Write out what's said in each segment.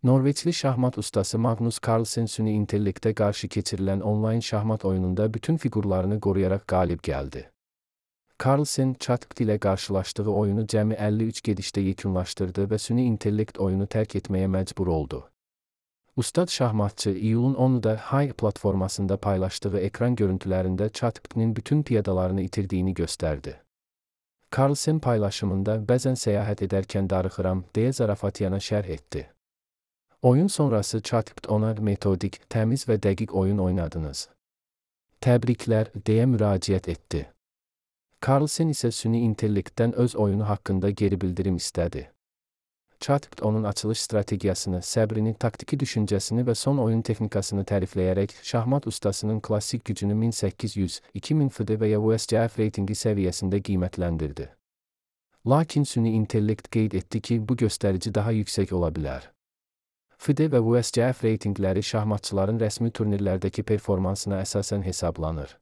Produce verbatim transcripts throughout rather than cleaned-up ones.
Norveçli şahmat ustası Magnus Carlsen süni intellektə qarşı keçirilən onlayn şahmat oyununda bütün figurlarını qoruyaraq qalib gəldi. Carlsen, ChatGPT ilə qarşılaşdığı oyunu cəmi əlli üç gedişdə yekunlaşdırdı və süni intellekt oyunu tərk etməyə məcbur oldu. Ustad şahmatçı iyulun onunda Hay platformasında paylaşdığı ekran görüntülərində ChatGPT-nin bütün piyadalarını itirdiyini göstərdi. Carlsen paylaşımında bəzən səyahət edərkən darıxıram deyə zarafatyana şərh etdi. Oyun sonrası ChatGPT ona metodik, təmiz və dəqiq oyun oynadınız. Təbriklər, deyə müraciət etdi. Carlsen isə süni intellektdən öz oyunu haqqında geri bildirim istədi. ChatGPT onun açılış strategiyasını, səbrini, taktiki düşüncəsini və son oyun texnikasını tərifləyərək şahmat ustasının klassik gücünü min səkkiz yüz, iki min F D və ya U S G F reytingi səviyyəsində qiymətləndirdi. Lakin süni intellekt qeyd etdi ki, bu göstərici daha yüksək ola bilər. F D və U S G F reytingləri şahmatçıların rəsmi turnirlərdəki performansına əsasən hesablanır.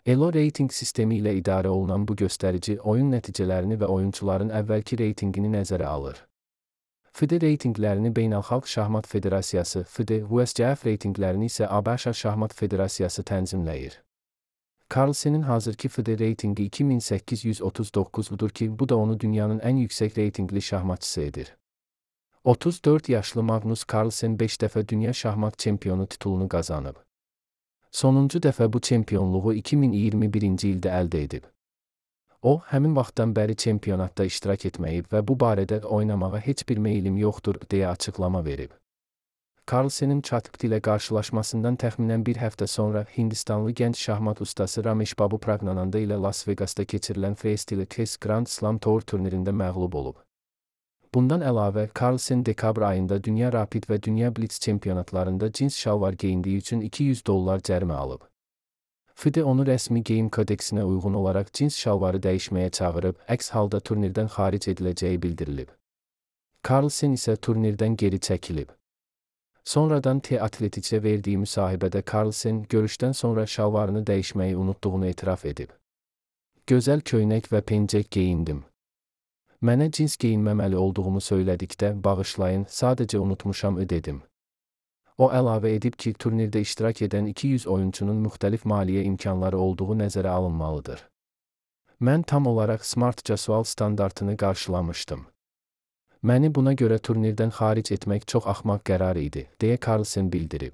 Elo reyting sistemi ilə idarə olunan bu göstərici oyun nəticələrini və oyunçuların əvvəlki reytingini nəzərə alır. F D reytinglərini Beynəlxalq Şahmat Federasiyası, F D, U S G F reytinglərini isə ABŞ Şahmat Federasiyası tənzimləyir. Carlsen'in hazırki F D reytingi iki min səkkiz yüz otuz doqquzdur ki, bu da onu dünyanın ən yüksək reytingli şahmatçısı edir. otuz dörd yaşlı Magnus Carlsen beş dəfə dünya şahmat çempionu titulunu qazanıb. Sonuncu dəfə bu çempionluğu iki min iyirmi birinci ildə əldə edib. O, həmin vaxtdan bəri çempionatda iştirak etməyib və bu barədə oynamağa heç bir meylim yoxdur, deyə açıqlama verib. Carlsen'in ChatGPT ilə qarşılaşmasından təxminən bir həftə sonra Hindistanlı gənc şahmat ustası Ramesh Babu Pragnananda ilə Las Vegasda keçirilən Freestyle Chess Grand Slam Tour turnirində məğlub olub. Bundan əlavə, Carlsen dekabr ayında Dünya Rapid və Dünya Blitz çempionatlarında cins şalvar geyindiyi üçün iki yüz dollar cərimə alıb. F D onu rəsmi geyim kodeksinə uyğun olaraq cins şalvarı dəyişməyə çağırıb, əks halda turnirdən xaric ediləcəyi bildirilib. Carlsen isə turnirdən geri çəkilib. Sonradan T-Atletic'ə verdiyi müsahibədə Carlsen görüşdən sonra şalvarını dəyişməyi unutduğunu etiraf edib. Gözəl köynək və pencək geyindim. Mənə cins geyinməməli olduğumu söylədikdə, bağışlayın, sadəcə unutmuşam dedim. O əlavə edib ki, turnirdə iştirak edən iki yüz oyunçunun müxtəlif maliyyə imkanları olduğu nəzərə alınmalıdır. Mən tam olaraq Smart Casual standartını qarşılamışdım. Məni buna görə turnirdən xaric etmək çox axmaq qərar idi, deyə Carlsen bildirib.